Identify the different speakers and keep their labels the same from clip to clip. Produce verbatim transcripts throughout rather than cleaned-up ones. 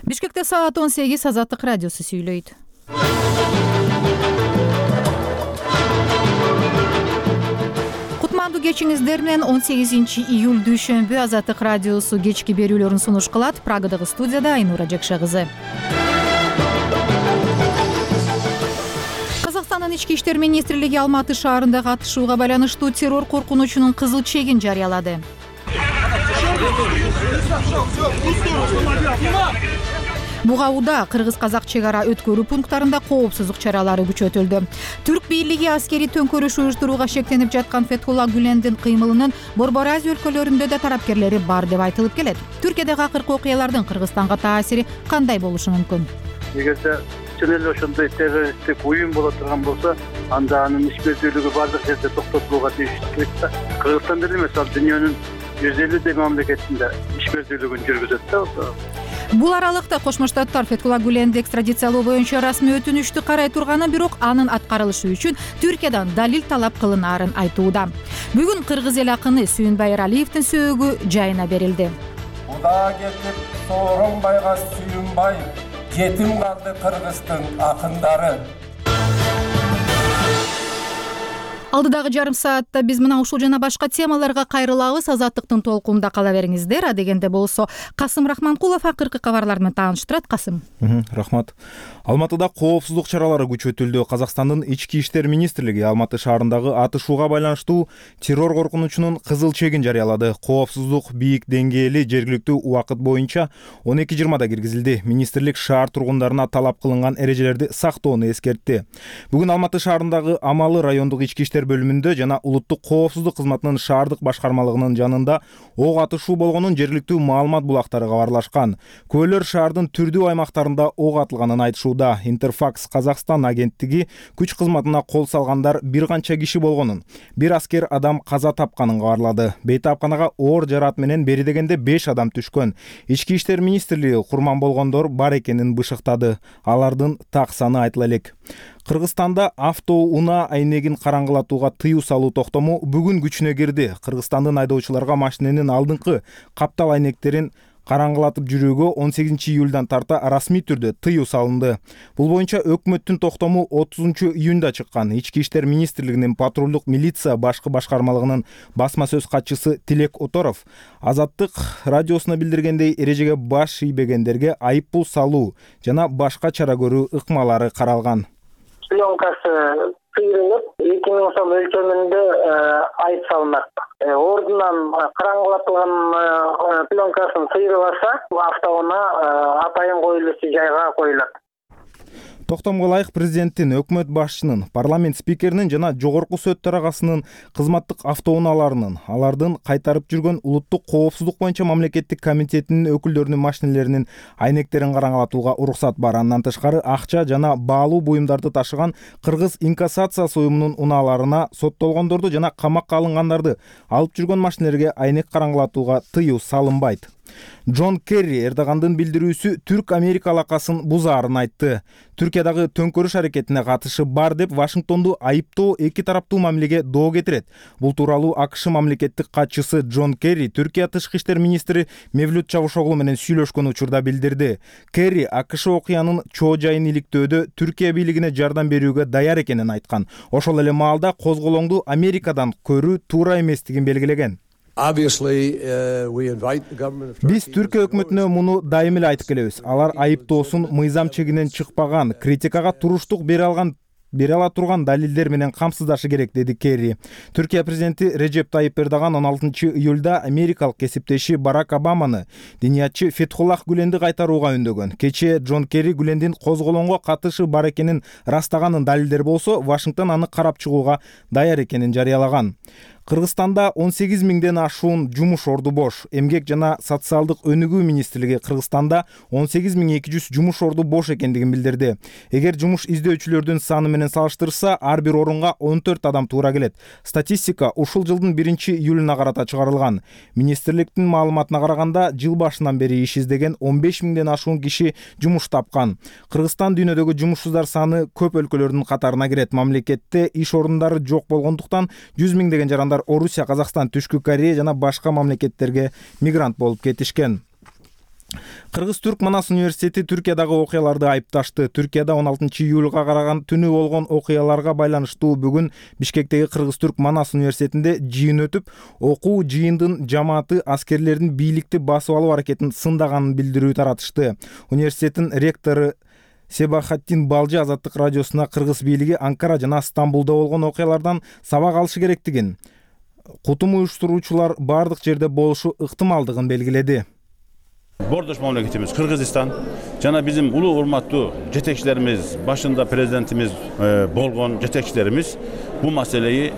Speaker 1: Бишкекте саат он сегиз Азаттык радиосу сүйлөйт. Кутмандуу кечиңиздер менен он сегизинчи июль дүйшөмбү Азаттык радиосу кечки берүүлөрүн сунуш кылат. Прагадагы студияда Айнура Жекше кызы. Казакстандын ички иштер министрлиги Алматы шаарындагы атышууга байланыштуу террор коркунучунун кызыл чегин жарыялады. Бугауда кыргыз-казак чек ара өткөрүү пункттарында коопсуздук чаралары күчөтүлдү. Түрк бийлиги аскери төңкөрүш уюштурууга шектенип жаткан Фетхулла Гүлендин кыймылынын Борбор Азия өлкөлөрүндө да тарапкерлери бар деп айтылып келет. Түркиядагы акыркы окуялардын Кыргызстанга таасири кандай болушу мүмкүн?
Speaker 2: Эгерде чын эле ошондой террористтик уюм боло турган болсо, анда анын ишмердүүлүгү бардык жерде токтотулууга тийиштүү керек да. Кыргызстан деле эмес, ал дүйнөнүн жүз элүүдөй мамлекетинде ишмердүүлүгүн жүргүзөт да.
Speaker 1: Бул аралыкта Кошмо Штаттар Фетхулла Гүленди экстрадициялоо боюнча расмий өтүнүштү карай турганы, бирок анын аткарылышы үчүн Түркиядан далил талап кылынаарын айтууда. Бүгүн кыргыз эл акыны Сүйүнбай Эралиевдин сөөгү жайына берилди.
Speaker 3: Уда кетип Сооронбайга Сүйүнбай, жетим калды Кыргыздын акындары.
Speaker 1: Алдыдагы жарым саатта биз мына ушул жана башка темаларга кайрылабыз. Азаттыктын толкунда кала бериңиздер. Адегенде болсо Касым Рахманкулов акыркы кабарлар менен тааныштырат. Касым.
Speaker 4: Рахмат. Алматыда коопсуздук чаралары күчөтүлдү. Казакстандын ички иштер министрлиги Алматы шаарындагы атышууга байланыштуу террор коркунучунун кызыл чегин жарыялады. Коопсуздук бийик деңгээли жергиликтүү убакыт боюнча он эки жыйырмада киргизилди. Министрлик шаар тургундарына талап кылынган эрежелерди сактоону эскертти. Бүгүн Алматы шаарындагы Амалы райондук ички иштер бөлүмүндө жана улуттук коопсуздук кызматынын шаардык башкармалыгынын жанында ок атышуу болгонун жергиликтүү маалымат булактары кабарлашкан. Күбөлөр шаардын түрдүү аймактарында ок атылганын айтышууда. Интерфакс Казакстан агенттиги күч кызматына кол салгандар бир канча киши болгонун, бир аскер адам каза тапканын кабарлады. Бейтапканага оор жараат менен бери дегенде беш адам түшкөн. Ички иштер министрлиги курман болгондор бар экенин бышыктады. Алардын так саны айтыла элек. Кыргызстанда автоунаа айнегин караңгылатууга тыюу салуу токтому бүгүн күчүнө кирди. Кыргызстандын айдоочуларга машиненин алдыңкы каптал айнектерин караңгылатып жүрүүгө он сегизинчи июлдан тарта расмий түрдө тыюу салынды. Бул боюнча өкмөттүн токтому отузунчу июнда чыккан. Ички иштер министрлигинин патрулдук милиция башкы башкармалыгынын басма сөз катчысы Тилек Оторов Азаттык радиосуна билдиргендей, эрежеге баш ийбегендерге айып пул салуу жана башка чара көрүү ыкмалары каралган.
Speaker 5: Пленкасы сыйрылып, эки миң сом өлчөмүндө айып салынат. Ордунан караңгылатылган пленкасын сыйрыласа, автоунаа атайын коюлуучу жайга коюлат.
Speaker 4: Токтомго ылайык президенттин, өкмөт башчынын, парламент спикеринин жана жогорку сот төрагасынын кызматтык автоунааларынын, алардын кайтарып жүргөн улуттук коопсуздук боюнча мамлекеттик комитетинин өкүлдөрүнүн машинелеринин айнектерин караңгылатууга уруксат бар. Андан тышкары акча жана баалуу буюмдарды ташыган Кыргыз инкассация уюмунун унааларына соттолгондорду жана камакка алынгандарды алып жүргөн машинелерге айнек караңгылатууга тыюу салынбайт. Джон Керри Эрдогандын билдирүүсү Түрк-Америка алакасын бузаарын айтты. Түркиядагы төңкөрүш аракетине катышы бар деп Вашингтонду айыптоо эки тараптуу мамилеге доо кетирет. Бул тууралуу АКШ мамлекеттик катчысы Джон Керри Түркия тышкы иштер министри Мевлют Чавушоглу менен сүйлөшкөн учурда билдирди. Керри АКШ окуянын чоо жайын иликтөөдө Түркия бийлигине жардам берүүгө даяр экенин айткан. Ошол эле маалда козголоңду Америкадан көрүү туура эместигин белгилеген. Биз Түркия өкмөтүнө муну дайым эле айтып келебиз. Алар айыптоосун мыйзам чегинен чыкпаган, критикага туруштук бере алган бере ала турган далилдер менен камсыздашы керек, деди Керри. Түркия президенти Режеп Тайип Эрдоган он алтынчы июлда америкалык кесиптеши Барак Обаманы динiyatчы Фетхуллах Гүленди кайтарууга үндөгөн. Кечээ Джон Керри Гүлендин козголоңго катышы бар экенин растаганын далилдери болсо, Вашингтон аны карап чыгууга даяр экенин жарыялаган. Кыргызстанда он сегиз миңден ашуун жумуш орду бош. Эмгек жана социалдык өнүгүү министрлиги Кыргызстанда он сегиз миң эки жүз жумуш орду бош экендигин билдирди. Эгер жумуш издөөчүлөрдүн саны менен салыштырса, ар бир орунга он төрт адам туура келет. Статистика ушул жылдын биринчи июлуна карата чыгарылган. Министрликтин маалыматына караганда, жыл башынан бери иш издеген он беш миңден ашуун киши жумуш тапкан. Кыргызстан дүйнөдөгү жумушсуздар саны көп өлкөлөрдүн катарына кирет. Мамлекетте иш орундары жок болгондуктан жүз миңдеген жарандар Орусия, Казакстан, Түшкү Корея жана башка мамлекеттерге мигрант болуп кетишкен. Кыргыз-Түрк Манас университети Түркиядагы окуяларды айыпташты. Түркияда он алтынчы июлга караган түнү болгон окуяларга байланыштуу бүгүн Бишкектеги Кыргыз-Түрк Манас университетинде жыйын өтүп, окуу жыйындын жамааты аскерлердин бийликти басып алуу аракетин сындаганын билдирүү таратышты. Университеттин ректору Себахаттин Балжы Азаттык радиосуна кыргыз бийлиги Анкара жана Стамбулда болгон окуялардан сабак алышы керектигин, кутум уюштуруучулар бардык жерде болушу ыктымалдыгын белгиледи.
Speaker 6: Бордош мамлекетimiz Кыргызстан жана bizim улуу урматтуу жетекчилерimiz, башында президентimiz болгон жетекчилерimiz bu маселеyi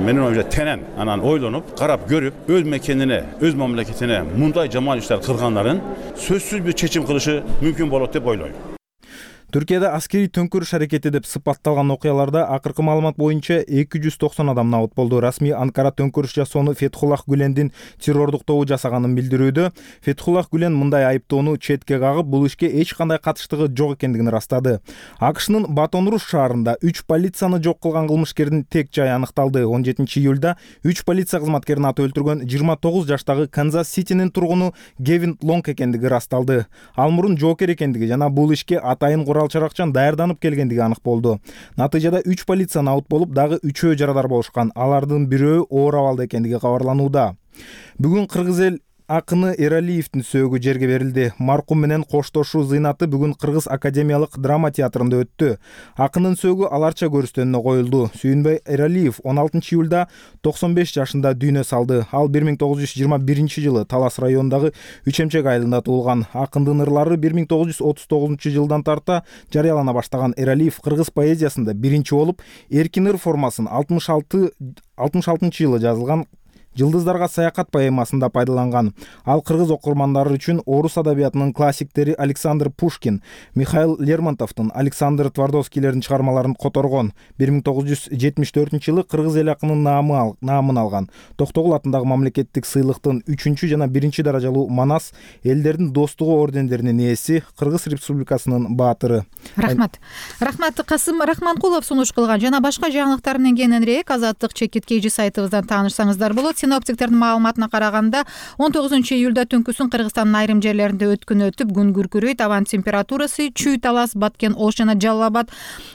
Speaker 6: менин оюмча тенен анан ойлонуп, карап көрүп, өз мекенине, өз мамлекетине мындай жаман иштер кылганларын сөзсүз бир чечим кылышы мүмкүн болот деп ойлойм.
Speaker 4: Түркияда аскери төңкөрүш аракети деп сыпатталган окуяларда акыркы маалымат боюнча эки жүз токсон адам набыт болду. Расмий Анкара төңкөрүш жасоону Фетхуллах Гүлендин террордук тобу жасаганын билдирүүдө. Фетхуллах Гүлен мындай айыптоону четке кагып, бул ишке эч кандай катыштыгы жок экендигин ырастады. АКШнын Батон-Руш шаарында үч полицияны жок кылган кылмышкердин тек жайы аныкталды. он жетинчи июлда үч полиция кызматкерин аты өлтүргөн жыйырма тогуз жаштагы Канзас-Ситинин тургуну Гевин Лонг экендиги ырасталды. Ал мурун жоокер экендиги жана бул ишке атайын курал-чаракчан даярданып келгендиги анык болду. Натыйжада үч полиция набыт болуп, дагы үчөө жарадар болушкан. Алардын бирөө оор абалда экендиги кабарланууда. Бүгүн Кыргыз эл акыны Эралиевдин сөөгү жерге берилди. Маркум менен коштошуу зыйнаты бүгүн Кыргыз академиялык драма театрында өттү. Акынын сөөгү аларча көрүстөнүнө коюлду. Сүйүнбай Эралиев он алтынчы июлда токсон беш жашында дүйнө салды. Ал бир миң тогуз жүз жыйырма биринчи жылы Талас районундагы Үч Эмчек айылында туулган. Акындын ырлары бир миң тогуз жүз отуз тогузунчу жылдан тарта жарыялана баштаган Эралиев кыргыз поэзиясында биринчи болуп, Эркин ыр формасын алтымыш алтынчы жылы жазылган Жылдыздарга саякат поэмасында пайдаланган. Ал кыргыз окурмандары үчүн орус адабиятынын классиктери Александр Пушкин, Михаил Лермонтовдун, Александр Твардовскийлердин чыгармаларын которгон. бир миң тогуз жүз жетимиш төртүнчү жылы кыргыз эл акынын наамын алган. Токтогул атындагы мамлекеттик сыйлыктын үчүнчү жана биринчи даражалуу Манас элдердин достугу ордендеринин ээси, Кыргыз Республикасынын баатыры.
Speaker 1: Рахмат. Рахмат Касым Рахманкулов сунуш кылган жана башка жаңылыктар менен кененирээк Азаттык чекит кей сайтыбыздан таанышсаңыздар болот. Синоптиктердин маалыматына караганда он тогузунчу июлда түнкүсүн Кыргызстандын айрым жерлеринде өткүн өтүп, күн күркүрөйт, абан температурасы Чүй, Талас, Баткен, Ош жана Жалал Абад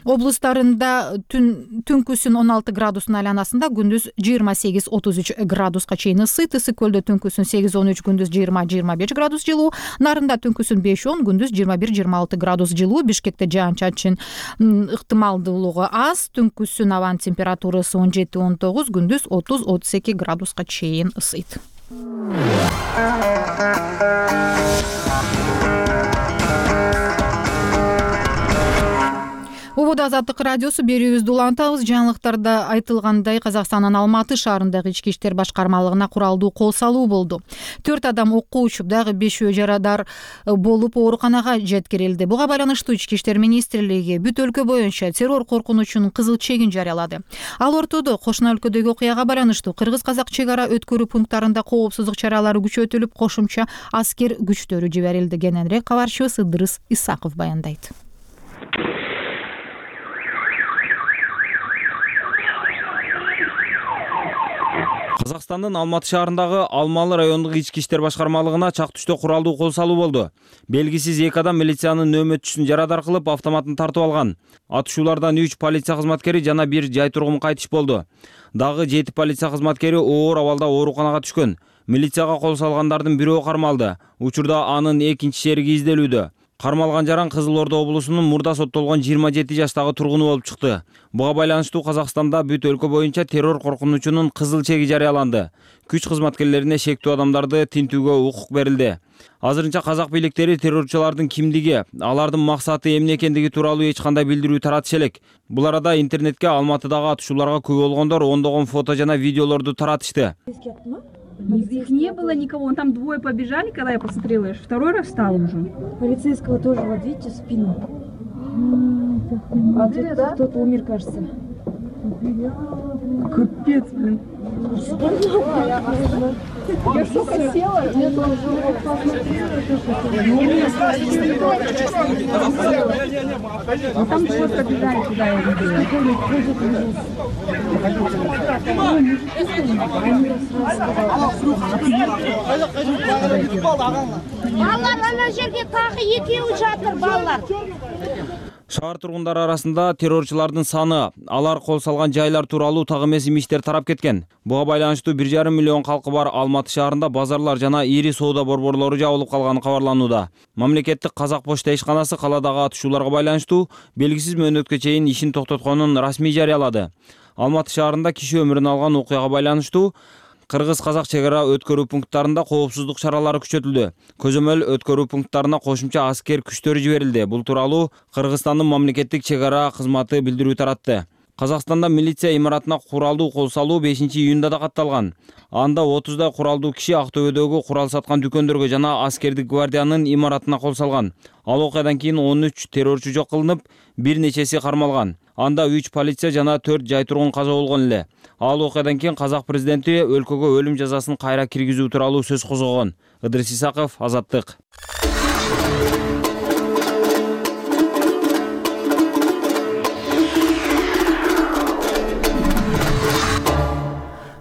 Speaker 1: облустарында түнкүсүн он алты градустун айланасында, күндүз жыйырма сегиз отуз үч градуска чейин ысыйт. Ысык көлдө түнкүсүн сегиз он үч, күндүз жыйырма жыйырма беш градус жылуу, Нарында түнкүсүн беш он, күндүз жыйырма бир жыйырма алты градус жылуу, Бишкекте жаан-чачын ыктымалдуулугу аз, түнкүсүн абан температурасы он жети он тогуз, күндүз отуз отуз эки градуска чейин ысыйт. Убуда Азаттык радиосу берүүбүздү улантабыз. Жаңылыктарда айтылгандай, Казакстандын Алматы шаарындагы ички иштер башкармалыгына куралдуу кол салуу болду. төрт адам окко учуп, дагы бешөө жарадар болуп ооруканага жеткирилди. Буга байланыштуу Ички иштер министрлиги бүт өлкө боюнча террор коркунучунун кызыл чегин жарыялады. Ал ортодо кошуна өлкөдөгү окуяга байланыштуу кыргыз-казак чек ара өткөрүү пункттарында коопсуздук чаралары күчөтүлүп, кошумча аскер күчтөрү жиберилди. Кененирээк кабарчыбыз Ыдырыс Исаков баяндайт.
Speaker 7: Казакстандын Алматы шаарындагы Алмалы райондук ички иштер башкармалыгына чак түштө куралдуу кол салуу болду. Белгисиз эки адам милициянын нөөмөтчүсүн жарадар кылып, автоматын тартып алган. Атышуулардан үч полиция кызматкери жана бир жай тургун кайтыш болду. Дагы жети полиция кызматкери оор абалда ооруканага түшкөн. Милицияга кол салгандардын бирөө кармалды. Учурда анын экинчи шериги изделүүдө. Кармалган жаран Кызыл Ордо облусунун мурда соттолгон жыйырма жети жаштагы тургуну болуп чыкты. Буга байланыштуу Казакстанда бүт өлкө боюнча террор коркунучунун кызыл чеги жарыяланды. Күч кызматкерлерине шектүү адамдарды тинтүүгө укук берилди. Азырынча казак бийликтери террорчулардын кимдиги, алардын максаты эмне экендиги тууралуу эч кандай билдирүү таратыша элек. Бул арада интернетке Алматыдагы атышууларга күбө болгондор ондогон фото жана видеолорду таратышты.
Speaker 8: Их не было никого, вон там двое побежали, когда я посмотрела, я второй раз встала уже.
Speaker 9: Полицейского тоже, вот видите, спину. А тут да? Кто-то умер, кажется.
Speaker 8: Капец, блин. Я столько села, я тоже ну там вот побежали туда, я видела.
Speaker 10: Балалар ана жерге тағы екеуі жатыр, балалар.
Speaker 7: Шаар тургундары арасында террорчулардын саны, алар кол салган жайлар тууралуу так эмес имиштер тарап кеткен. Буга байланыштуу бир жарым миллион калкы бар Алматы шаарында базарлар жана ири соода борборлору жабылып калганы кабарланууда. Мамлекеттик Казак почта ишканасы каладагы атышууларга байланыштуу белгисиз мөөнөткө чейин ишин токтотконун расмий жарыялады. Алматы шаарында киши өмүрүн алган окуяга байланыштуу кыргыз-казак чек ара өткөрүү пункттарында коопсуздук чаралары күчөтүлдү. Көзөмөл өткөрүү пункттарына кошумча аскер күчтөрү жиберилди. Бул тууралуу Кыргызстандын мамлекеттик чек ара кызматы билдирүү таратты. Казакстанда милиция имаратына куралдуу кол салуу бешинчи июнда да катталган. Анда отуздай куралдуу киши Актөбөдөгү курал саткан дүкөндөргө жана аскердик гвардиянын имаратына кол салган. Ал окуядан кийин он үч террорчу жок кылынып, бир нечеси кармалган. Анда үч полиция жана төрт жай тургун каза болгон эле. Ал окуядан кийин Казак президенти өлкөгө өлүм жазасын кайра киргизүү тууралуу сөз козгогон. Ыдырыс Исаков, Азаттык.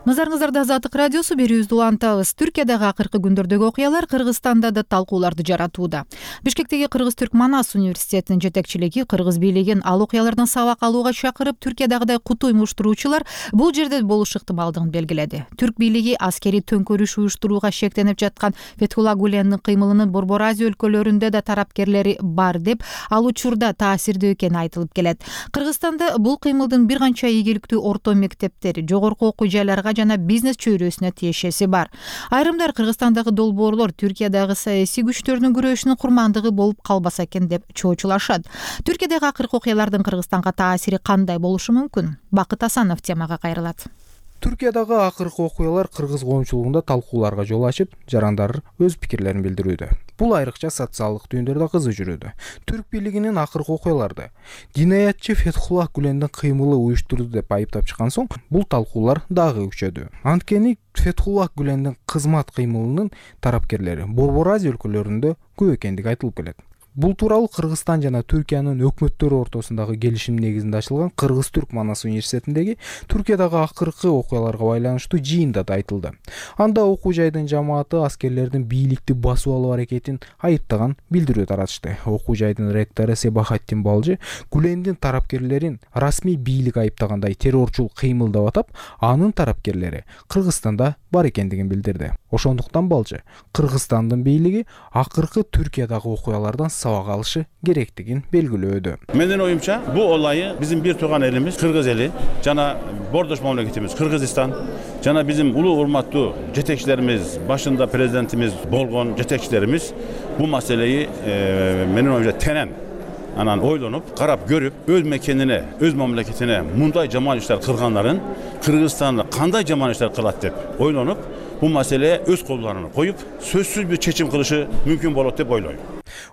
Speaker 1: Назарыңыздарда Азаттык радиосу берүүбүздү улантабыз. Түркиядагы акыркы күндөрдөгү окуялар Кыргызстанда да талкууларды жаратууда. Бишкектеги Кыргыз-Түрк Манас университетинин жетекчилиги Кыргыз бийлигин ал окуялардан сабак алууга чакырып, Түркиядагыдай куту уюштуруучулар бул жерде болуш ыктымалдыгын белгиледи. Түрк бийлиги аскери төңкөрүш уюштурууга шектенип жаткан Фетхулла Гулендин кыймылынын Борбор Азия өлкөлөрүндө да тарапкерлери бар деп, ал учурда таасирдүү экени айтылып келет. Кыргызстанда бул кыймылдын бир канча ийгиликтүү орто мектептери, жогорку окуу жайларга жана бизнес чөйрөсүнө тиешеси бар. Айрымдар Кыргызстандагы долбоорлор Түркиядагы саясий күчтөрдүн күрөшүнүн курмандыгы болуп калбаса экен деп чоочулашат. Түркиядагы акыркы окуялардын Кыргызстанга таасири кандай болушу мүмкүн? Бакыт Асанов темага кайрылат.
Speaker 4: Түркиядагы акыркы окуялар кыргыз коомчулугунда талкууларга жол ачып, жарандар өз пикирлерин билдирүүдө. Бул айрыкча социалдык түйүндөрдө кызуу жүрүүдө. Түрк бийлигинин акыркы окуяларды динаятчы Фетхулла Гулендин кыймылы уюштурду деп айыптап чыккан соң, бул талкуулар дагы күчөдү. Анткени Фетхулла Гулендин кызмат кыймылынын тарапкерлери Борбор Азия өлкөлөрүндө көп экендиги айтылып келет. Бул тууралуу Кыргызстан жана Түркиянын өкмөттөрү ортосундагы келишим негизинде ачылган Кыргыз-Түрк Манас университетиндеги Түркиядагы акыркы окуяларга байланыштуу жыйында да айтылды. Анда окуу жайдын жамааты аскерлердин бийликти басып алуу аракетин айыптаган билдирүү таратышты. Окуу жайдын ректору Себахаттин Балжы Гулендин тарапкерлерин расмий бийлик айыптагандай террорчул кыймыл деп атап, анын тарапкерлери Кыргызстанда бар экендигин билдирди. Ошондуктан Балжы Кыргызстандын бийлиги акыркы Түркиядагы окуялардан сабак алышы керектигин белгилөөдө.
Speaker 6: Менин оюмча, бул олайы биздин бир турган элimiz Кыргыз эли жана бордош мамлекетибиз Кыргызстан жана биздин улуу урматтуу жетекчилерimiz, башында президентimiz болгон жетекчилерimiz бул маселеyi e, менин оюмча тенен анан ойлонуп, карап көрүп, өз мекенине, өз мамлекетине мындай жаман иштер кылганларын Кыргызстанда кандай жаман иштер кылат деп ойлонуп, бул маселе өз колдоруна коюп, сөзсүз бир чечим кылышы мүмкүн болот деп ойлойм.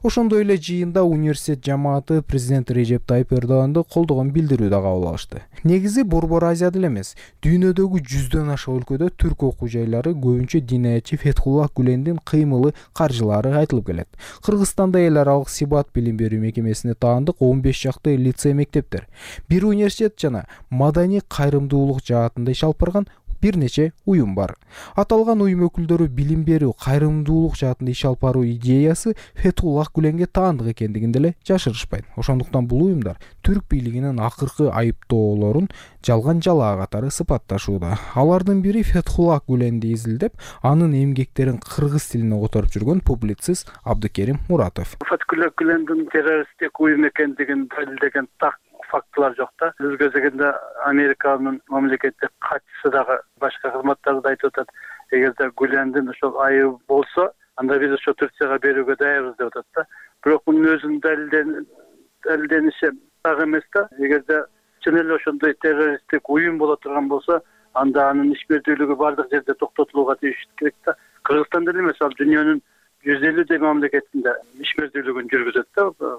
Speaker 4: Ошондой эле жыйында университет жамааты президент Режеп Тайып Эрдоганды колдогон билдирүү да кабыл алышты. Негизи Борбор Азияда эмес, дүйнөдөгү жүздөн аша өлкөдө түрк окуу жайлары көбүнчө динаятчы Фетхулла Гулендин кыймылы каржылары айтылып келет. Кыргызстанда эл аралык сибат билим берүү мекемесине таандык он беш чакты лицей мектептер, бир университет жана маданий кайрымдуулук жаатында иш алып барган бир нече уюм бар. Аталган уюм өкүлдөрү билим берүү, кайрымдуулук жаатында иш алып баруу идеясы Фетхулла Гуленге таандык экендигин деле жашырышпайт. Ошондуктан бул уюмдар түрк бийлигинин акыркы айыптоолорун жалган жалаа катары сыпатташууда. Алардын бири Фетхулла Гуленди изилдеп, анын эмгектерин кыргыз тилине которуп жүргөн публицист Абдыкерим Муратов.
Speaker 2: Фетхулла Гулендин террористтик уюм экендигин далилдеген так фактылар жок да. Өз кезегинде Американын мамлекеттик катчысы дагы башка кызматтарды айтып атат. Эгерде Гулендин ошол айыбы болсо, анда биз ошо Турцияга берүүгө даярбыз деп атат да. Бирок мунун өзүнүн далилдениши так эмес да. Эгерде чын эле ошондой террористтик уюм боло турган болсо, анда анын ишмердүүлүгү бардык жерде токтотулууга тийиш керек да. Кыргызстанда эле эмес, ал дүйнөнүн жүз элүүдөй мамлекетинде ишмердүүлүгүн жүргүзөт да.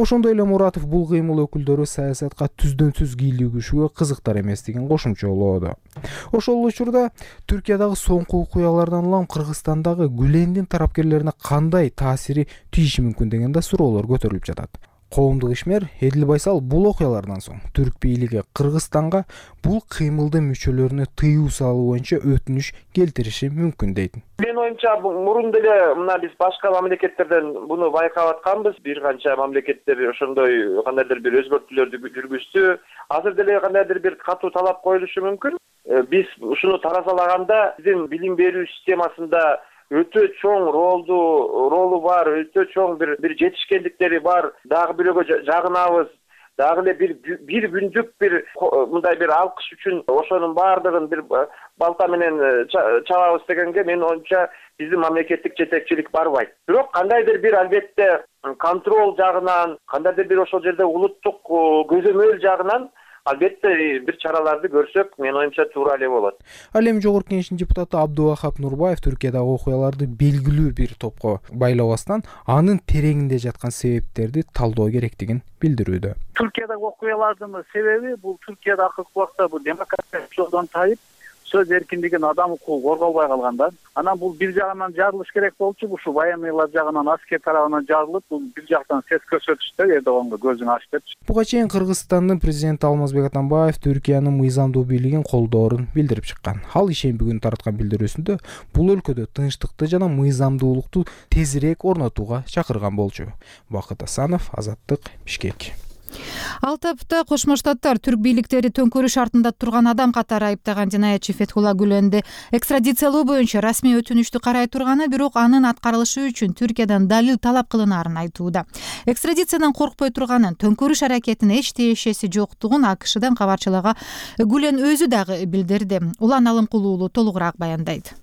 Speaker 4: Ошондой эле Муратов бул кыймыл өкүлдөрү саясатка түздөн түз кийлигишүүгө кызыктар эместигин кошумчалоодо. Ошол учурда Түркиядагы соңку окуялардан улам Кыргызстандагы Гүлендин тарапкерлерине кандай таасири тийиши мүмкүн деген да суроолор көтөрүлүп жатат. Коомдук ишмер Эдил Байсал бул окуялардан соң түрк бийлиги Кыргызстанга бул кыймылдын мүчөлөрүнө тыюу салуу боюнча өтүнүш келтириши мүмкүн дейт.
Speaker 11: Мен оюмча мурун деле мына биз башка мамлекеттерден буну байкап атканбыз. Бир канча мамлекеттер ошондой кандайдыр бир өзгөртүүлөрдү жүргүздү. Азыр деле кандайдыр бир катуу талап коюлушу мүмкүн. Биз ушуну таразалаганда биздин билим берүү системасында өтө чоң ролду ролу бар, өтө чоң бир бир жетишкендиктери бар. Дагы бирөөгө жагынабыз. Дагы эле бир бир күндүк бир мындай бир алкыш үчүн ошонун баардыгын бир балта менен чабабыз дегенге мен оюмча биздин мамлекеттик жетекчилик барбайт. Бирок кандайдыр бир албетте контроль жагынан, кандайдыр бир ошол жерде улуттук көзөмөл жагынан албетте бир чараларды көрсөк, мен оюмча туура эле болот.
Speaker 4: Ал эми жогорку кеңештин депутаты Абдувахап Нурбаев Түркиядагы окуяларды белгилүү бир топко байлабастан анын тереңинде жаткан себептерди талдоо керектигин билдирүүдө.
Speaker 2: Түркиядагы окуялардын себеби бул Түркияда акыркы убакта бул демократия жолдон тайып, сөз эркиндигин, адам укугу корголбой калганда, анан бул бир жагынан жарылыш керек болчу, ушул военныйлар жагынан, аскер тарабынан жарылып, бул бир жактан сес көрсөтүштө Эрдоганга көзүн ачып деп.
Speaker 4: Буга чейин Кыргызстандын президенти Алмазбек Атамбаев Түркиянын мыйзамдуу бийлигин колдоорун билдирип чыккан. Ал ишемби күнү тараткан билдирүүсүндө бул өлкөдө тынчтыкты жана мыйзамдуулукту тезирээк орнотууга чакырган болчу. Бакыт Асанов, Азаттык, Бишкек.
Speaker 1: Ал тапта Кошмо Штаттар түрк бийликтери төңкөрүш артында турган адам катары айыптаган жинаятчы Фетхулла Гүленди экстрадициялоо боюнча расмий өтүнүштү карай турганы, бирок анын аткарылышы үчүн Түркиядан далил талап кылынаарын айтууда. Экстрадициядан коркпой турганын, төңкөрүш аракетине эч тиешеси жоктугун АКШдан кабарчылаган Гүлен өзү дагы билдирди. Улан Алымкулуу уулу толугураак баяндайт.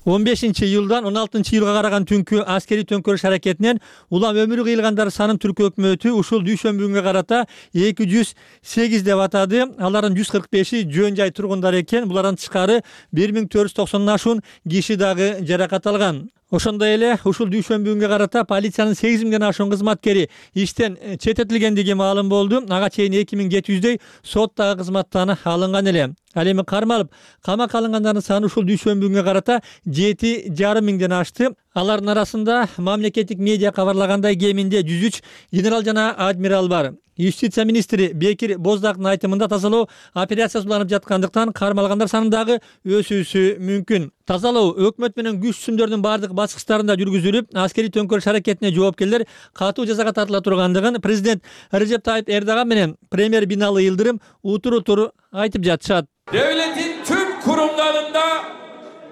Speaker 12: он бешинчи июлдан он алтынчы июлга караган түнкү аскери төңкөрүш аракетинен улам өмүрү кыйылгандар санын түрк өкмөтү ушул дүйшөмбү күнгө карата эки жүз сегиз деп атады. Алардын жүз кырк беши жөн жай тургундар экен. Булардан тышкары бир миң төрт жүз токсондон ашуун киши дагы жаракат алган. Ошондой эле ушул дүйшөмбү күнгө карата полициянын сегиз миңден ашуун кызматкери иштен чететилгендиги маалым болду. Ага чейин эки миң жети жүздөй соттагы кызматтан алынган эле. Ал эми кармалып камакка алынгандардын саны ушул дүйшөмбү күнгө карата жети жарым миңден ашты. Алардын арасында мамлекеттик медиа кабарлагандай кеминде жүз үч генерал жана адмирал бар. Юстиция министри Бекир Боздактын айтымында тазалоо операциясы уланып жаткандыктан кармалгандар саны дагы өсүүсү мүмкүн. Тазалоо өкмөт менен күч түзүмдөрдүн бардык баскычтарында жүргүзүлүп, аскери төңкөрүш аракетине жоопкерлер катуу жазага тартыла тургандыгын президент Режеп Тайып Эрдоган менен премьер Бинали Йылдырым утуру тур айтып жатышат.
Speaker 13: Devletin tüm kurumlarında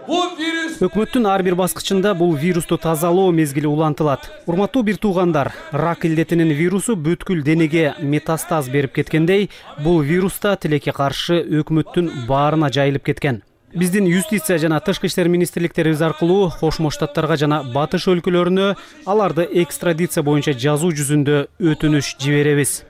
Speaker 13: bu virüs
Speaker 14: Өкмөттүн ар бир баскычында бул вирусту тазалоо мезгили улантылат. Урматтуу бир туугандар, рак илдетинин вирусу бүткүл денеге метастаз берип кеткендей, бул вирус да тилекке каршы өкмөттүн баарына жайылып кеткен. Биздин юстиция жана тышкы иштер министрликтерибиз аркылуу Кошмо Штаттарга жана батыш өлкөлөрүнө аларды экстрадиция боюнча жазуу жүзүндө өтүнүш жиберебиз.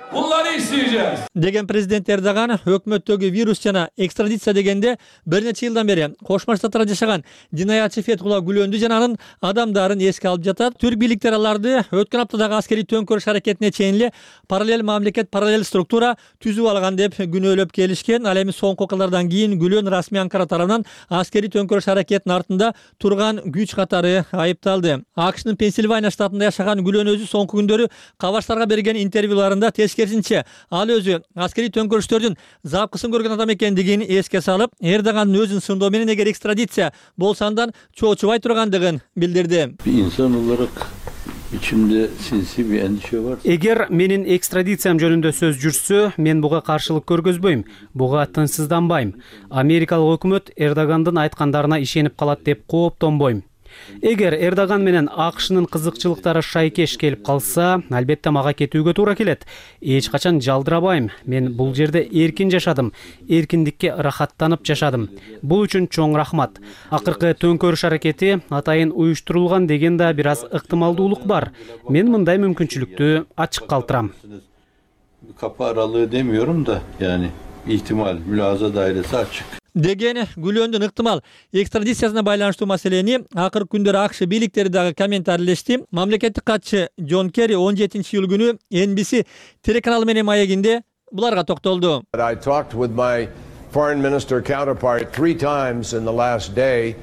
Speaker 13: Bunları isteyeceğiz.
Speaker 12: Деген президент Эрдоган өкмөттөгү вирус жана экстрадиция дегенде бир нече жылдан бери Кошмо Штаттарда жашаган жинаятчы Фетхулла Гүлөндү жана анын адамдарын эске алып жатат. Түрк бийликтери аларды өткөн аптадагы аскери төңкөрүш аракетине чейин эле параллель мамлекет, параллель структура түзүп алган деп күнөөлөп келишкен. Ал эми соңку окуялардан кийин Гүлөн расмий Анкара тарабынан аскери төңкөрүш аракетинин артында турган күч катары айыпталды. АКШнын Пенсильвания штатында жашаган Гүлөн өзү соңку күндөрү кабарчыларга берген интервьюларында тескерисинче ал өзү аскери төңкөрүштөрдүн запкысын көргөн адам экендигин эске салып, Эрдогандын өзүн сындоо менен эгер экстрадиция болсо андан чоочубай тургандыгын билдирди.
Speaker 15: İnsan olarak içimde sinsi bir endişe var.
Speaker 14: Эгер менин экстрадициям жөнүндө сөз жүрсө, мен буга каршылык көргөзбөйм, буга тынчсызданбайм. Америкалык өкмөт Эрдогандын айткандарына ишенип калат деп кооптонбойм. Эгер Эрдоган менен АКШнын кызыкчылыктары шайкеш келип калса, албетте мага кетүүгө туура келет. Эч качан жалдырабайм. Мен бул жерде эркин жашадым, эркиндикке рахаттанып жашадым. Бул үчүн чоң рахмат. Акыркы төңкөрүш аракети атайын уюштурулган деген да бир аз ыктымалдуулук бар. Мен мындай мүмкүнчүлүктү ачык калтырам.
Speaker 15: Kapı aralığı demiyorum da yani ihtimal, mülahaza dairesi açık.
Speaker 12: деген Гүлөндүн ыктымал экстрадициясына байланыштуу маселени акыркы күндөр АКШ бийликтери дагы комментарийлешти. Мамлекеттик катчы Джон Керри он жетинчи июль күнү Эн Би Си телеканалы менен маегинде буларга токтолду.
Speaker 16: I talked with my foreign minister counterpart three times in the last day.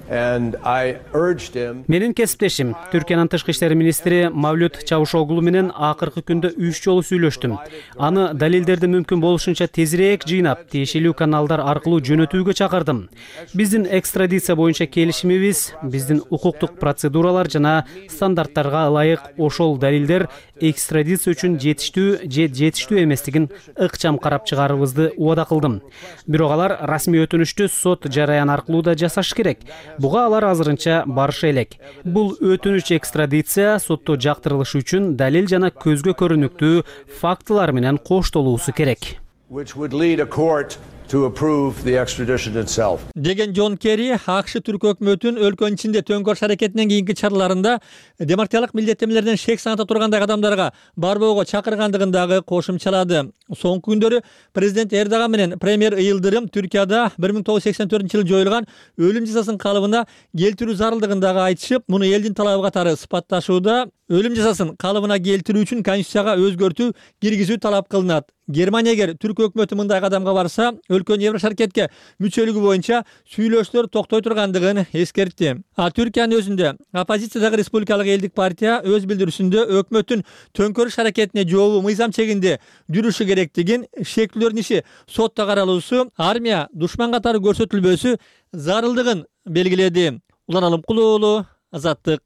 Speaker 16: And I urged him...
Speaker 14: Менин кесиптешим Түркиянын тышкы иштер министри Мавлют Чавушоглу менен акыркы күндө үч жолу сүйлөштүм. Аны далилдерди мүмкүн болушунча тезирээк жыйнап, тиешелүү каналдар аркылуу жөнөтүүгө чакырдым. Биздин экстрадиция боюнча келишимибиз, биздин укуктук процедуралар жана стандарттарга ылайык ошол далилдер экстрадиция үчүн жетиштүү же жетиштүү эместигин ыкчам карап чыгарыбызды убада кылдым. Бирок алар расмий өтүнүштү сот жараяны аркылуу да жасаш керек. Буга алар азырынча барыша элек. Бул өтүнүч экстрадиция сотто жактырылышы үчүн далил жана көзгө көрүнүктүү фактылар менен коштолуусу керек.
Speaker 16: Which would lead a court to approve the extradition itself.
Speaker 12: Деген Джон Керри АКШ түрк өкмөтүнүн өлкөнүн ичинде төңкөрүш аракетинен кийинки чараларында демократиялык милдеттенмелерден шек саната тургандай адамдарга барбоого чакыргандыгын дагы кошумчалады. Соңку күндөрү президент Эрдоган менен премьер Йылдырым Түркияда бир миң тогуз жүз сексен төртүнчү жылы жоюлган өлүм жазасын калыбына келтирүү зарылдыгын дагы айтышып, муну элдин талабы катары сыпатташууда. Өлүм жазасын калыбына келтирүү үчүн конституцияга өзгөртүү киргизүү талап кылынат. Германия эгер түрк өкмөтү мындай кадамга барса, өлкөнүн Еврошаркетке мүчөлүгү боюнча сүйлөшүүлөр токтой тургандыгын эскертти. А Түркиянын өзүндө оппозициядагы Республикалык элдик партия өз билдирүүсүндө өкмөттүн төңкөрүш аракетине жообу мыйзам чегинде жүрүшү керектигин, шектүүлөрдүн иши сотто каралуусу, армия душман катары көрсөтүлбөсү зарылдыгын белгиледи. Улан Алымкул уулу, Азаттык.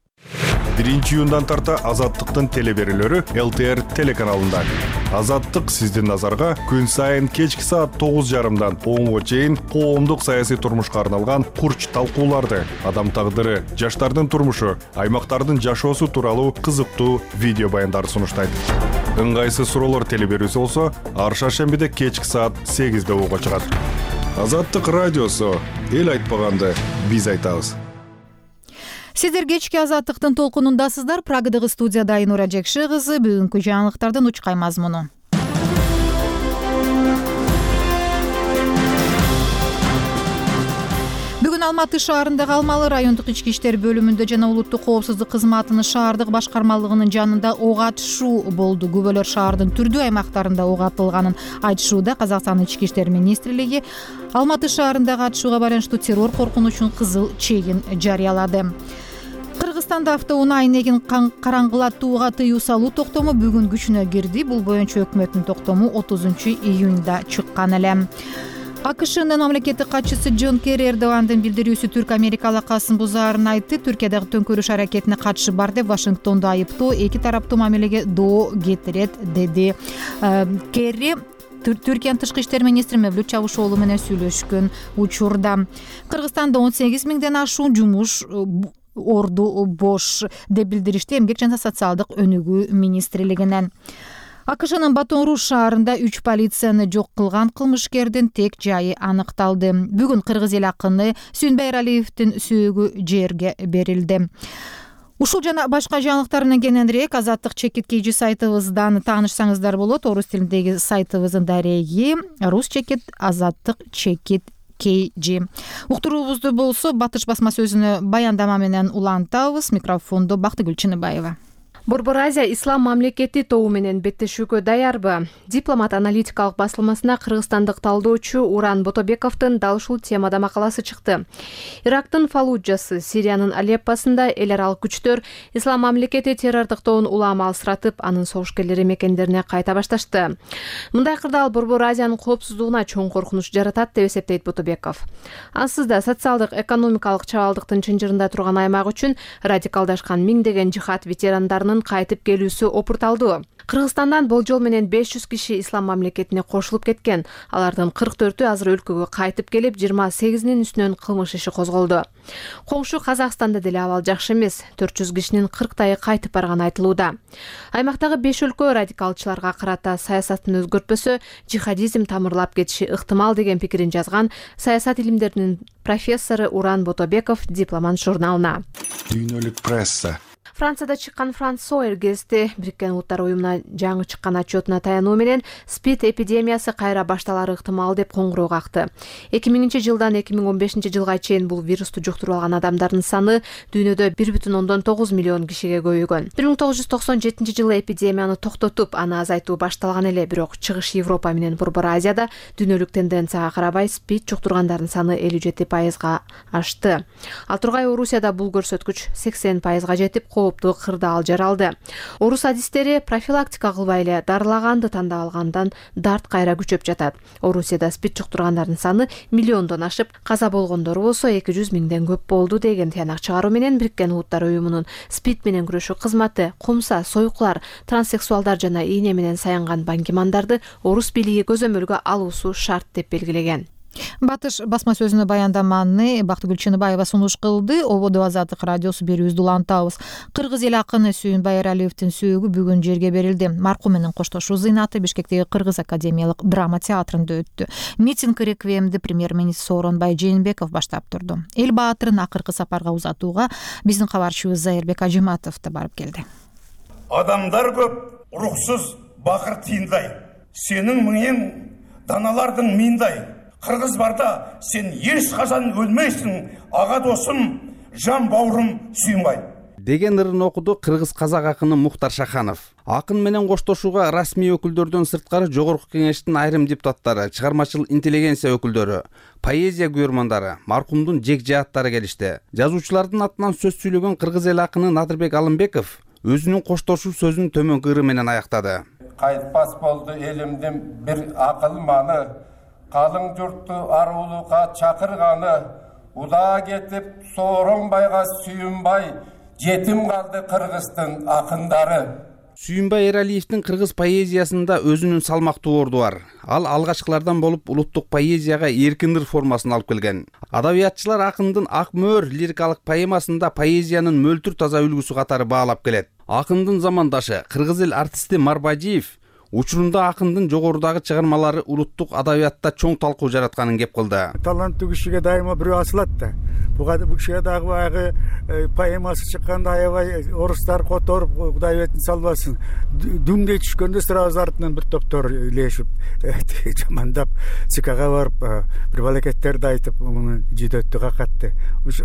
Speaker 17: биринчи июндан тарта Азаттыктын телеберүүлөрү Эл Ти Эр телеканалында. Азаттык сиздин назарга күн сайын кечки саат тогуз жарымдан онго чейин коомдук саясий турмушка арналган курч талкууларды, адам тагдыры, жаштардын турмушу, аймактардын жашоосу тууралуу кызыктуу видео баяндарды сунуштайт. Ыңгайсыз суроолор телеберүүсү болсо, ар шаршембиде кечки саат сегизде ого чыгат. Азаттык радиосу, эл айтпаганды биз айтабыз.
Speaker 1: Сиздер кечки Азаттыктын толкунундасыздар. Прагадагы студияда Айнура Жекши кызы. Бүгүнкү жаңылыктардын учкай мазмуну. Бүгүн Алматы шаарындагы Алмалы райондук ички иштер бөлүмүндө жана улуттук коопсуздук кызматынын шаардык башкармалыгынын жанында ок атышуу болду. Күбөлөр шаардын түрдүү аймактарында ок атылганын айтышууда. Казакстандын ички иштер министрлиги Алматы шаарындагы атышууга байланыштуу террор коркунучунун кызыл чегин жарыялады. Кыргызстанда автоунаа айнегин караңгылатууга тыюу салуу токтому бүгүн күчүнө кирди. Бул боюнча өкмөттүн токтому отузунчу июнда чыккан эле. АКШнын мамлекеттик катчысы Джон Керри Эрдогандын билдирүүсү түрк-америка алакасын бузаарын айтты. Түркиядагы төңкөрүш аракетине катышы бар деп Вашингтонду айыптоо эки тараптуу мамилеге доо кетирет, деди Керри. Түркиянын тышкы иштер министри Мевлют Чавушоглу менен сүйлөшкөн учурда. Кыргызстанда он сегиз миңден ашуун жумуш орду бош деп билдиришти Эмгек жана социалдык өнүгүү министрлигинен. АКШнын Батон-Руж шаарында үч полицияны жок кылган кылмышкердин тек жайы аныкталды. Бүгүн кыргыз эл акыны Сүйүнбай Эралиевдин сөөгү жерге берилди. Ушул жана башка жаңылыктар менен кененирээк Азаттык чекит кей жи сайтыбыздан таанышсаңыздар болот. Орус тилиндеги сайтыбыздын дареги Рус чекит Азаттык чекит кей жи. Уктуруубузду болсо Батыш басма сөзүнө баяндама менен улантабыз. Микрофондо Бактыгүл Чыныбаева.
Speaker 18: Борбор Азия ислам мамлекети тобу менен беттешүүгө даярбы? Дипломат аналитикалык басылмасына кыргызстандык талдоочу Уран Ботобековдун дал ушул темада макаласы чыкты. Ирактын Фаллуджасы, Сириянын Алеппосунда эл аралык күчтөр ислам мамлекети террордуктоон улам алысыратып, анын согушкерлери мекендерине кайта башташты. Мындай кырдаал Борбор Азиянын коопсуздугуна чоң коркунуч жаратат деп эсептейт Ботобеков. Ансыз да социалдык экономикалык чабалдыктын чынжырында турган аймак үчүн радикалдашкан миңдеген жихад ветерандарынын кайтып келүүсү опурталдуу. Кыргызстандан болжол менен беш жүз киши ислам мамлекетине кошулуп кеткен. Алардын кырк төртү азыр өлкөгө кайтып келип, жыйырма сегизинин үстүнөн кылмыш иши козголду. Коңшу Казакстанда деле абал жакшы эмес. төрт жүз кишинин кырктайы кайтып барганы айтылууда. Аймактагы беш өлкө радикалчыларга карата саясатын өзгөртпөсө, жихадизм тамырлап кетиши ыктымал деген пикирин жазган саясат илимдеринин профессору Уран Ботобеков Дипломат журналына.
Speaker 17: Дүйнөлүк пресса
Speaker 18: Францияда чыккан Франс Сойер гезити Бириккен Улуттар уюмуна жаңы чыккан отчетуна таянуу менен СПИД эпидемиясы кайра башталары ыктымал деп коңгуроо какты. эки миңинчи жылдан эки миң он бешинчи жылга чейин бул вирусту жуктуруп алган адамдардын саны дүйнөдө бир бүтүн ондон тогуз миллион кишиге көбөйгөн. бир миң тогуз жүз токсон жетинчи жылы эпидемияны токтотуп, аны азайтуу башталган эле, бирок Чыгыш Европа менен Борбор Азияда дүйнөлүк тенденцияга карабай СПИД жуктургандардын саны элүү жети пайызга ашты. Ал тургай Орусияда бул көрсөткүч сексен пайызга жетип, кооптуу кырдаал жаралды. Орус адистери профилактика кылбай эле дарылаганды тандап алгандан дарт кайра күчөп жатат. Орусияда СПИД жуктургандардын саны миллиондон ашып, каза болгондор болсо эки жүз миңден көп болду деген тыянак чыгаруу менен Бириккен Улуттар уюмунун СПИД менен күрөшүү кызматы кумса, сойкулар, транссексуалдар жана ийне менен саянган баңгимандарды орус бийлиги көзөмөлгө алуусу шарт деп белгилеген.
Speaker 1: Батыш басма сөзүнө баяндаманы Бактыгүл Чыныбаева сунуш кылды. Ободо Азаттык радиосу берүүбүздү улантабыз. Кыргыз эл акыны Сүйүнбай Эралиевдин сөөгү бүгүн жерге берилди. Маркум менен коштошуу зыйнаты Бишкектеги Кыргыз академиялык драма театрында өттү. Митинг реквиемди премьер-министр Сооронбай Жээнбеков баштап турду. Эл баатырын акыркы сапарга узатууга биздин кабарчыбыз Зайырбек Ажыматов да барып келди.
Speaker 19: Адамдар көп, уруксуз бакыр тыйындай. Сенин миңең даналардын миындай. Кыргыз барда сен эч качан өлмөйсүң, ага досум, жан бауырум Сүйүнбай
Speaker 20: деген ырын окуду кыргыз казак акыны Мухтар Шаханов. Акын менен коштошууга расмий өкүлдөрдөн сырткары жогорку кеңештин айрым депутаттары, чыгармачыл интеллигенция өкүлдөрү, поэзия күйөрмандары, маркумдун жек жааттары келишти. Жазуучулардын атынан сөз сүйлөгөн кыргыз эл акыны Надырбек Алымбеков өзүнүн коштошуу сөзүн төмөнкү ыры менен аяктады.
Speaker 3: Кайтпас болду элимдин бир акылманы, калың журтту арулукка чакырганы, уда кетип Сооронбайга Сүйүнбай, жетим калды кыргыздын акындары.
Speaker 20: Сүйүнбай Эралиевдин кыргыз поэзиясында өзүнүн салмактуу орду бар. Ал алгачкылардан болуп улуттук поэзияга эркин ыр формасын алып келген. Адабиятчылар акындын Ак мөөр лирикалык поэмасында поэзиянын мөлтүр таза үлгүсү катары баалап келет. Акындын замандашы кыргыз эл артисти Марбажиев учурунда акындын жогорудагы чыгармалары улуттук адабиятта чоң талкуу жаратканын кеп кылды.
Speaker 21: Таланттуу кишиге дайыма бирөө асылат да. Буга бул кишиге дагы баягы поэмасы чыкканда аябай орустар которуп, Кудай бетин салбасын, дүмдөй түшкөндө сразу артынан бир топтор илешип, жамандап, ЦКга барып, бир балакеттерди айтып, муну жидөттү какатты.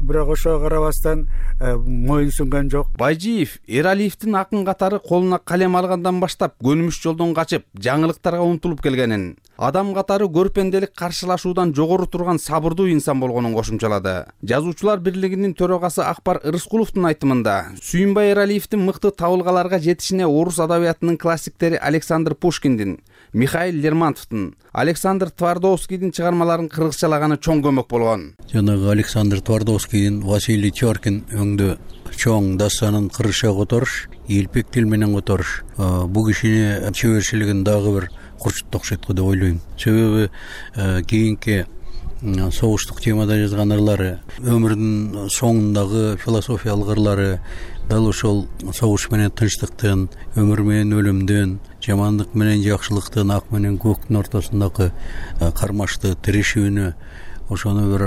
Speaker 21: Бирок ошого карабастан моюн сунган жок.
Speaker 20: Байжиев Эралиевдин акын катары колуна калем алгандан баштап көнүмүш жолдон качып, жаңылыктарга умтулуп келгенин, адам катары көрпенделик каршылашуудан жогору турган сабырдуу инсан болгонун кошумчалады. Жазуучулар бирлигинин төрагасы Акбар Ырыскуловдун айтымында, Сүйүнбай Эралиевдин мыкты табылгаларга жетишине орус адабиятынын классиктери Александр Пушкиндин, Михаил Лермонтовдун, Александр Твардовскийдин чыгармаларын кыргызчалаганы чоң көмөк болгон.
Speaker 15: Жанагы Александр Твардовскийдин Василий Чоркин өңдө чоң дастанын кыргызча которуш, элпек тил менен которуш бул кишини чеберчилигин дагы бир курчутту окшойт деп ойлойм. Себеби кийинки согуштук темада жазган ырлары, өмүрүнүн соңундагы философиялык ырлары дал ошол согуш менен тынчтыктын, өмүр менен өлүмдүн, жамандык менен жакшылыктын, ак менен көктүн ортосундагы кармашты тирешүүнү, ошону бир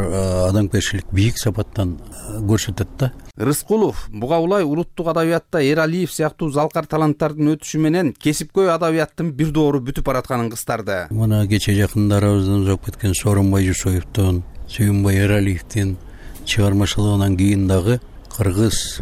Speaker 15: адамгерчилик бийик сапаттан көрсөтөт да.
Speaker 20: Рыскулов буга улай улуттук адабиятта Эралиев сыяктуу залкар таланттардын өтүшү менен кесипкөй адабияттын бир доору бүтүп баратканын кыстарды.
Speaker 15: Мына кече жакындарыбыздан узап кеткен Сооронбай Жусуевдин, Сүйүнбай Эралиевдин чыгармачылыгынан кийин дагы кыргыз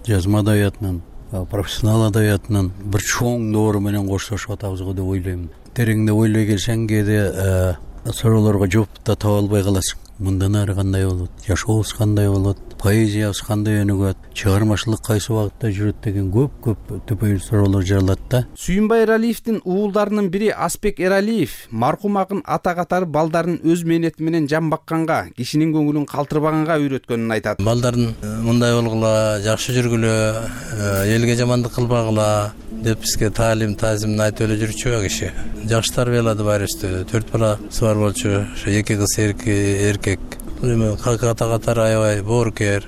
Speaker 15: жазма адабиятынын, профессионал адабиятынын бир чоң доору менен коштошуп атабыз го деп ойлойм. Тереңдеп ойлой келсең кээде суроолорго жооп да таба албай каласың. Мындан ары кандай болот, жашообуз кандай болот, поэзиябыз кандай өнүгөт, чыгармачылык кайсы багытта жүрөт деген көп-көп төпөйүн суроолор жаралат да.
Speaker 20: Сүйүнбай Эралиевдин уулдарынын бири Аспек Эралиев маркум акын ата катары балдарын өз мээнети менен жан бакканга, кишинин көңүлүн калтырбаганга үйрөткөнүн айтат.
Speaker 22: Балдарын мындай болгула, жакшы жүргүлө, элге жамандык кылбагыла деп бизге таалим, таазимин айтып эле жүрчү киши. Жакшы тарбиялады байрыбызды. төрт баласы бар болчу, ошо эки кыз, эркек. Ката катары аябай боорукер,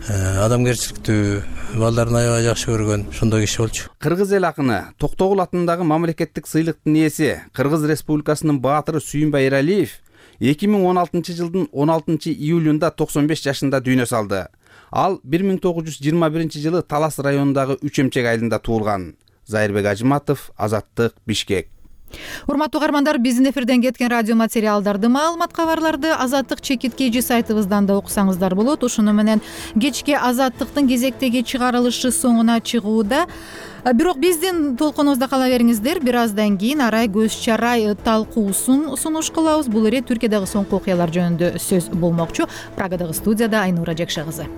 Speaker 22: адамгерчиликтүү, балдарын аябай жакшы көргөн, ошондой киши болчу.
Speaker 20: Кыргыз эл акыны Токтогул атындагы мамлекеттик сыйлыктын ээси, Кыргыз Республикасынын баатыры Сүйүнбай Эралиев эки миң он алтынчы жылдын он алтынчы июлунда токсон беш жашында дүйнө салды. Ал бир миң тогуз жүз жыйырма биринчи жылы Талас районундагы Үч Эмчек айылында туулган. Зайырбек Ажыматов, Азаттык, Бишкек.
Speaker 1: Урматтуу каармандар, биздин эфирден кеткен радио материалдарды, маалымат кабарларды Азаттык чекиткейжи сайтыбыздан да окусаңыздар болот. Ушуну менен кечки Азаттыктын кезектеги чыгарылышы соңуна чыгууда. Бирок биздин толкунубузда кала бериңиздер. Бир аздан кийин Арай көз чарай талкуусун сунуш кылабыз. Бул эре Түркиядагы соңку окуялар жөнүндө сөз болмокчу. Прагадагы студияда Айнура Жакшы кызы.